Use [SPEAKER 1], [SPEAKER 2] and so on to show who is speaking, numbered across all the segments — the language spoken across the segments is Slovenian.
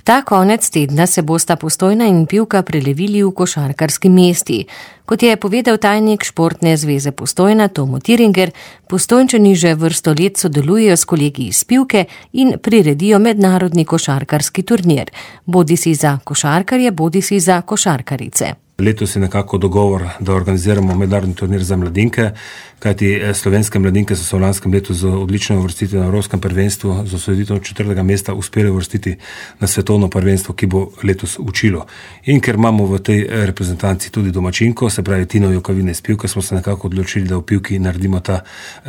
[SPEAKER 1] Ta konec tedna se bosta Postojna in Pivka prelevili v košarkarski mesti. Kot je povedal tajnik Športne zveze Postojna Tomo Tiringer, Postojnčani že vrsto let sodelujejo s kolegi iz Pivke in priredijo mednarodni košarkarski turnir, bodisi za košarkarje, bodisi za košarkarice.
[SPEAKER 2] Letos je nekako dogovor, da organiziramo mednarodni turnir za mladinke, kajti slovenske mladinke so se v lanskem letu z odlično uvrstitvijo na Evropskem prvenstvu, z osvojitvijo 4. mesta uspeli uvrstiti na svetovno prvenstvo, ki bo letos učilo. In ker imamo v tej reprezentanci tudi domačinko, se pravi Tino Jokavine iz Pivke, smo se nekako odločili, da v Pivki naredimo ta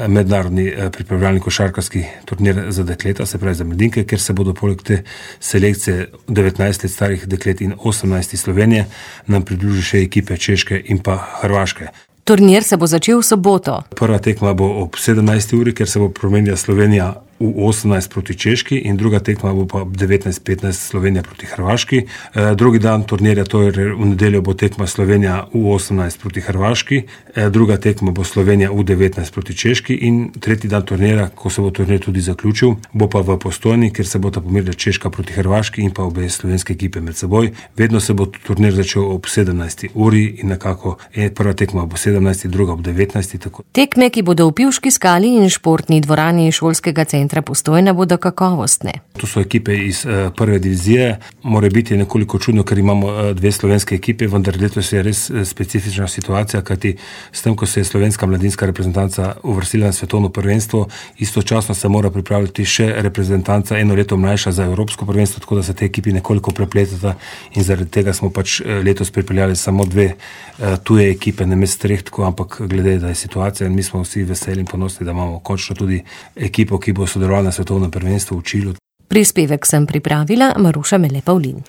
[SPEAKER 2] mednarodni pripravljalni košarkarski turnir za dekleta, se pravi za mladinke, ker se bodo poleg te selekcije 19 let starih deklet in 18 Slovenije nam pridružili še ekipe Češke in pa Hrvaške.
[SPEAKER 1] Turnir se bo začel v soboto.
[SPEAKER 2] Prva tekma bo ob 17. uri, ker se bo promenila Slovenija v 18 proti Češki in druga tekma bo pa 19:15 Slovenija proti Hrvaški. Drugi dan turnirja, to je v nedeljo, bo tekma Slovenija v 18 proti Hrvaški, druga tekma bo Slovenija v 19 proti Češki in tretji dan turnirja, ko se bo turnir tudi zaključil, bo pa v Postojni, kjer se bosta pomerila Češka proti Hrvaški in pa obe slovenske ekipe med seboj. Vedno se bo turnir začel ob 17. uri in nekako prva tekma bo 17, druga ob 19. Tako.
[SPEAKER 1] Tekme, ki bodo v Pivški skali in športni dvorani šolskega centra Postojna, bodo kakovostne.
[SPEAKER 2] To so ekipe iz prve divizije. Mora biti nekoliko čudno, ker imamo dve slovenske ekipe, vendar letos je res specifična situacija, kajti s tem, ko se je slovenska mladinska reprezentanca uvrstila na svetovno prvenstvo, istočasno se mora pripravljati še reprezentanca eno leto mlajša za evropsko prvenstvo, tako da se te ekipi nekoliko prepletata in zaradi tega smo pač letos pripeljali samo dve tuje ekipe, namesto treh, ampak glede, da je situacija in mi smo vsi veseli in ponosni, da imamo končno tudi ekipo, ki bo sodelovala na svetovnem prvenstvu v Čilu.
[SPEAKER 1] Prispevek sem pripravila Maruša Mele Pavlin.